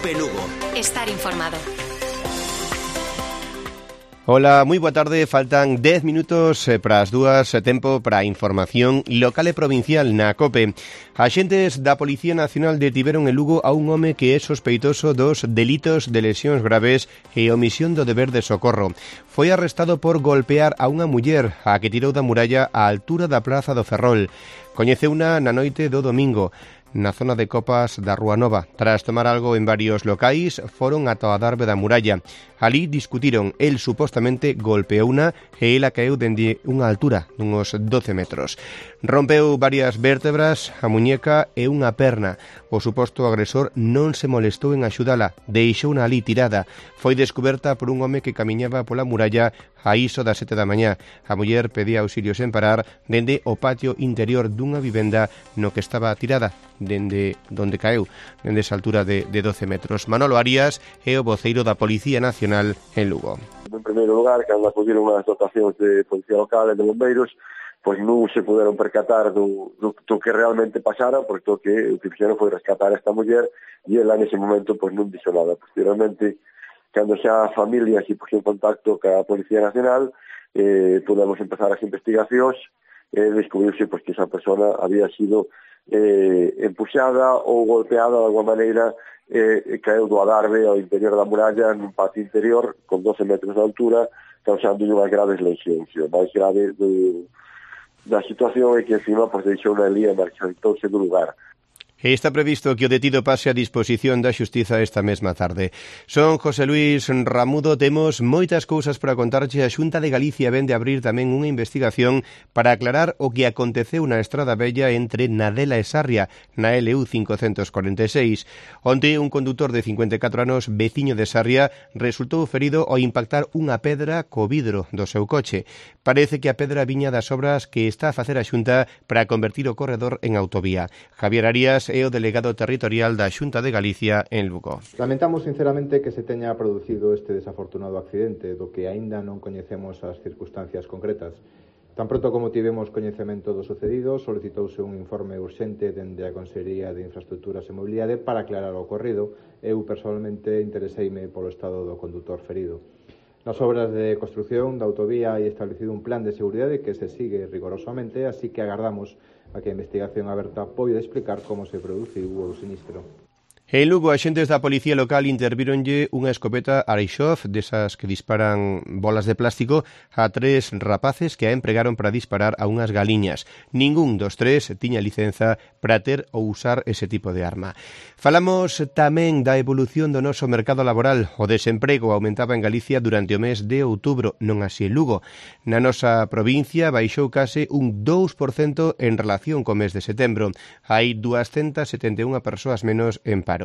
COPE Lugo. Estar informado. Ola, moi boa tarde. Faltan 10 minutos para as 2, tempo para a información local e provincial na COPE. Axentes da Policía Nacional detiveron en Lugo a un home que é sospeitoso dos delitos de lesións graves e omisión do deber de socorro. Foi arrestado por golpear a unha muller a que tirou da muralla á altura da Praza do Ferrol. Coñeceuna na noite do domingo na zona de Copas da Rúa Nova. Tras tomar algo en varios locais, foron ata a darbe da muralla. Alí discutiron, el supostamente golpeouna e ela caeu dende unha altura dunhos 12 metros. Rompeu varias vértebras, a muñeca e unha perna. O suposto agresor non se molestou en axudala, deixouna ali tirada. Foi descuberta por un home que camiñaba pola muralla a iso das 7 da mañá. A muller pedía auxilio sen parar dende o patio interior dunha vivenda no que estaba tirada, dende onde caeu, dende esa altura de 12 metros. Manolo Arias é o voceiro da Policía Nacional en Lugo. En primeiro lugar, cando acudiron as dotacións de Policía Local e de Bombeiros, pois non se puderon percatar do que realmente pasara, porque o que fixeron foi rescatar a esta muller e ela nese momento pois non dixo nada. Posteriormente, cando xa a familia se puxo en contacto ca Policía Nacional, podemos empezar as investigacións e descubriuse pois que esa persona había sido empuxada ou golpeada de alguma maneira, caeu do adarve ao interior da muralla nun patio interior con 12 metros de altura, causando unhas graves lesións. O máis grave da situación é que encima pois deixou unha lía e marchitouse do lugar. Está previsto que o detido pase a disposición da Xustiza esta mesma tarde. Son José Luis Ramudo, temos moitas cousas para contarche. A Xunta de Galicia vende abrir tamén unha investigación para aclarar o que aconteceu na Estrada Bella entre Nadela e Sarria, na LU 546. Onte, un condutor de 54 anos, veciño de Sarria, resultou ferido ao impactar unha pedra co vidro do seu coche. Parece que a pedra viña das obras que está a facer a Xunta para convertir o corredor en autovía. Javier Arias é o delegado territorial da Xunta de Galicia en Lugo. Lamentamos sinceramente que se teña producido este desafortunado accidente, do que aínda non coñecemos as circunstancias concretas. Tan pronto como tivemos coñecemento do sucedido, solicitouse un informe urxente dende a Consellería de Infraestructuras e Mobilidade para aclarar o ocorrido. Eu personalmente intereseime polo estado do condutor ferido. Nas obras de construción da autovía hai establecido un plan de seguridade que se sigue rigorosamente, así que agardamos a que a investigación aberta poida explicar como se produciu o sinistro. En Lugo, axentes da Policía Local intervíronlle unha escopeta Arixov, desas que disparan bolas de plástico, a 3 rapaces que a empregaron para disparar a unhas galiñas. Ningún dos 3 tiña licenza para ter ou usar ese tipo de arma. Falamos tamén da evolución do noso mercado laboral. O desemprego aumentaba en Galicia durante o mes de outubro, non así en Lugo. Na nosa provincia baixou case un 2% en relación co mes de setembro. Hai 271 persoas menos en paro.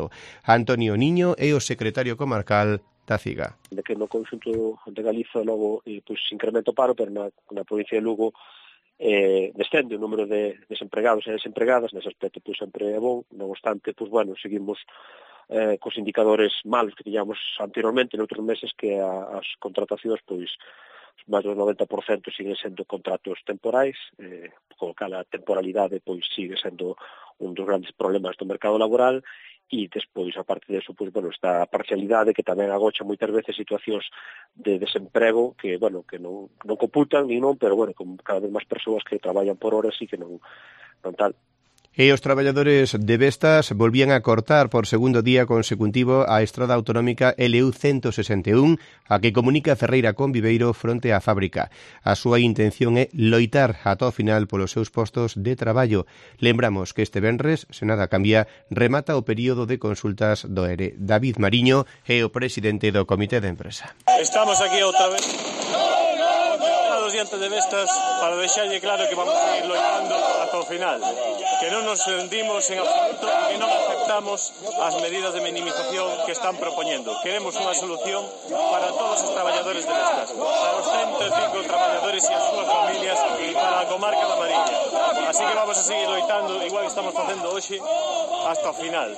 Antonio Niño é o secretario comarcal da CIGA. De que no conxunto de Galiza logo pois incrementa o paro, pero na provincia de Lugo descende o número de desempregados e desempregadas. Nese aspecto pois sempre é bon, non obstante, pois bueno, seguimos cos indicadores malos que tiñamos anteriormente noutros meses, que as contratacións pois máis do 90% siguen sendo contratos temporais, co cal a temporalidade pois sigue sendo un dos grandes problemas do mercado laboral. E despois, a parte disso, pois, bueno, está a parcialidade que tamén agocha moitas veces situacións de desemprego que, bueno, que non computan ni non, pero, bueno, con cada vez máis persoas que traballan por horas e que non tal. E os traballadores de Vestas volvían a cortar por segundo día consecutivo a estrada autonómica LU 161, a que comunica Ferreira con Viveiro fronte á fábrica. A súa intención é loitar ata o final polos seus postos de traballo. Lembramos que este venres, se nada cambia, remata o período de consultas do ERE. David Mariño é o presidente do Comité de Empresa. Estamos aquí outra vez diante de Vestas para deixarlle claro que vamos a ir loitando ata o final, que non nos rendimos en absoluto e que non aceptamos as medidas de minimización que están propoñendo. Queremos unha solución para todos os traballadores de Vestas, para os 105 traballadores e as súas familias e para a comarca da Mariña. Así que vamos a seguir loitando, igual que estamos facendo hoxe, hasta o final.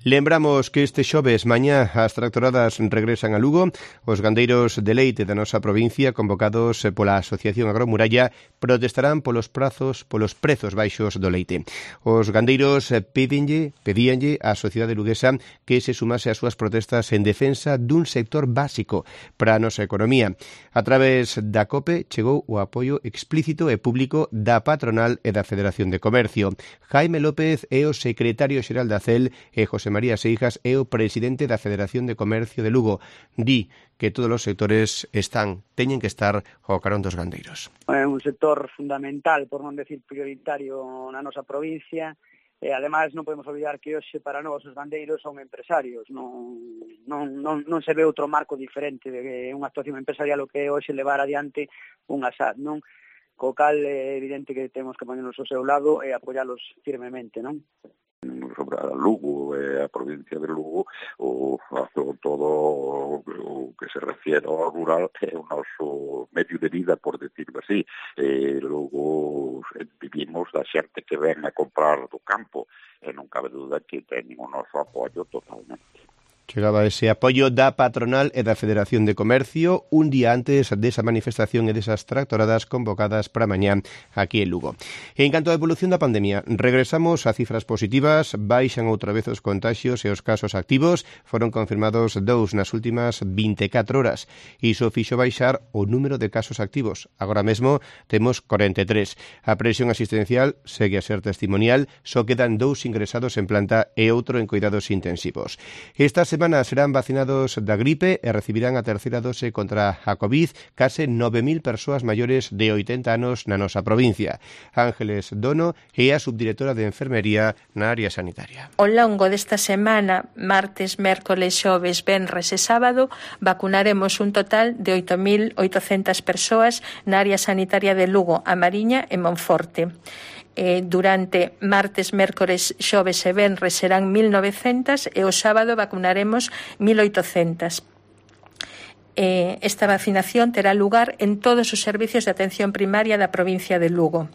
Lembramos que este xoves mañá as tractoradas regresan a Lugo. Os gandeiros de leite da nosa provincia, convocados pola Asociación Agromuralla, protestarán polos prezos baixos do leite. Os gandeiros pedíanlle á sociedade luguesa que se sumase ás súas protestas en defensa dun sector básico para a nosa economía. A través da COPE chegou o apoio explícito e público da patronal e da Federación de Comercio. Jaime López é o secretario xeral da CEL e José María Seijas é o presidente da Federación de Comercio de Lugo. Di que todos os sectores teñen que estar ao carón dos gandeiros. É un sector fundamental, por non decir prioritario, na nosa provincia. E, ademais, non podemos olvidar que hoxe para nós os gandeiros son empresarios. Non se ve outro marco diferente de unha actuación empresarial o que é hoxe levar adiante unha SAD, non? Co cal é evidente que temos que ponernos ao seu lado e apoialos firmemente, non? Sobre a Lugo e a provincia de Lugo, todo o que se refiere ao rural é o noso medio de vida, por decirlo así. Logo vivimos da xente que ven a comprar do campo e non cabe duda que teñen o noso apoio totalmente. Chegaba ese apoio da patronal e da Federación de Comercio un día antes desa manifestación e desas tractoradas convocadas para mañá aquí en Lugo. En canto á evolución da pandemia, regresamos a cifras positivas, baixan outra vez os contaxios e os casos activos, foron confirmados 2 nas últimas 24 horas. Iso fixo baixar o número de casos activos. Agora mesmo temos 43. A presión asistencial segue a ser testimonial, só quedan 2 ingresados en planta e outro en cuidados intensivos. Esta semana serán vacinados da gripe e recibirán a terceira dose contra a COVID case 9.000 persoas maiores de 80 anos na nosa provincia. Ángeles Dono é a subdirectora de Enfermería na área sanitaria. Ao longo desta semana, martes, mércoles, xoves, venres e sábado, vacunaremos un total de 8.800 persoas na área sanitaria de Lugo, A Mariña e Monforte. Durante martes, mércores, xoves e venres serán 1.900 e o sábado vacunaremos 1.800. Esta vacinación terá lugar en todos os servicios de atención primaria da provincia de Lugo.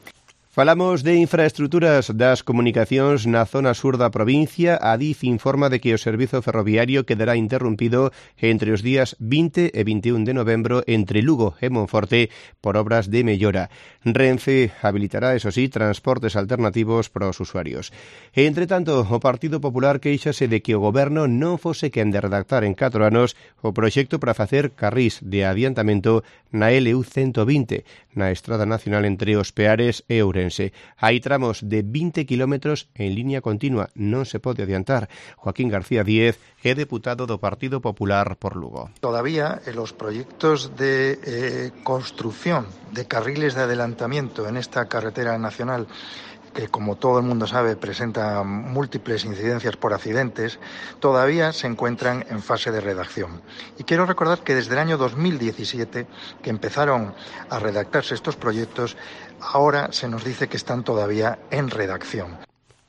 Falamos de infraestruturas das comunicacións na zona sur da provincia. A DIF informa de que o servizo ferroviario quedará interrompido entre os días 20 e 21 de novembro entre Lugo e Monforte por obras de mellora. Renfe habilitará, eso sí, transportes alternativos para os usuarios. E, entre tanto, o Partido Popular queixase de que o Goberno non fose quen de redactar en 4 anos o proxecto para facer carrís de adiantamento na LU 120, na Estrada Nacional entre Os Peares e Ourense. Hai tramos de 20 kilómetros en línea continua, non se pode adiantar. Joaquín García Díez é deputado do Partido Popular por Lugo. Todavía los proyectos de construcción de carriles de adelantamiento en esta carretera nacional, que como todo el mundo sabe presenta múltiples incidencias por accidentes, todavía se encuentran en fase de redacción. Y quiero recordar que desde el año 2017, que empezaron a redactarse estos proyectos, ahora se nos dice que están todavía en redacción.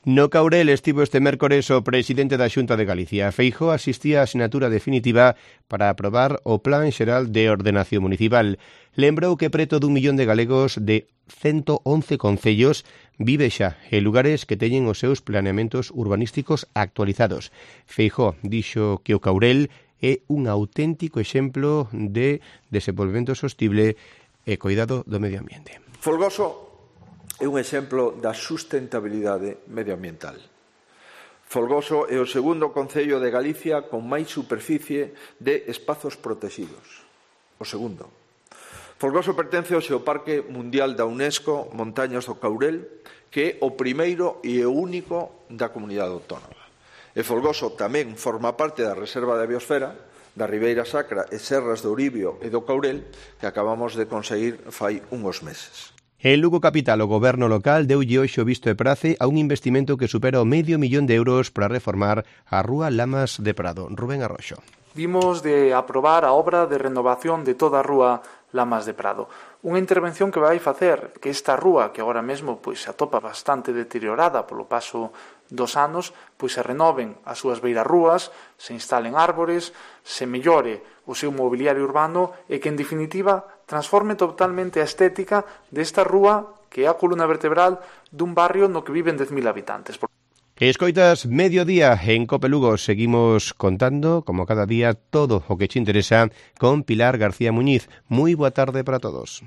No Caurel estivo este mércores o presidente da Xunta de Galicia. Feijóo asistía á asignatura definitiva para aprobar o Plan Xeral de Ordenación Municipal. Lembrou que preto dun millón de galegos de 111 concellos vive xa en lugares que teñen os seus planeamentos urbanísticos actualizados. Feijóo dixo que o Caurel é un auténtico exemplo de desenvolvemento sostible e cuidado do medio ambiente. Folgoso é un exemplo da sustentabilidade medioambiental. Folgoso é o segundo concello de Galicia con máis superficie de espazos protegidos. O segundo. Folgoso pertence ao Xeoparque Mundial da UNESCO Montañas do Caurel, que é o primeiro e o único da comunidade autónoma. E Folgoso tamén forma parte da Reserva da Biosfera, da Ribeira Sacra e Serras do Uribio e do Caurel, que acabamos de conseguir fai uns meses. En Lugo Capital, o goberno local deulle hoxe o visto e prace a un investimento que supera o €500.000 para reformar a rúa Lamas de Prado. Rubén Arroxo. Vimos de aprobar a obra de renovación de toda a rúa Lamas de Prado. Unha intervención que vai facer que esta rúa, que agora mesmo se atopa bastante deteriorada polo paso dos anos, se renoven as súas beirarrúas, se instalen árbores, se mellore o seu mobiliario urbano e que, en definitiva, transforme totalmente a estética desta rúa que é a columna vertebral dun barrio no que viven 10.000 habitantes. Escoitas Mediodía en Cope Lugo. Seguimos contando, como cada día, todo o que te interesa con Pilar García Muñiz. Moi boa tarde para todos.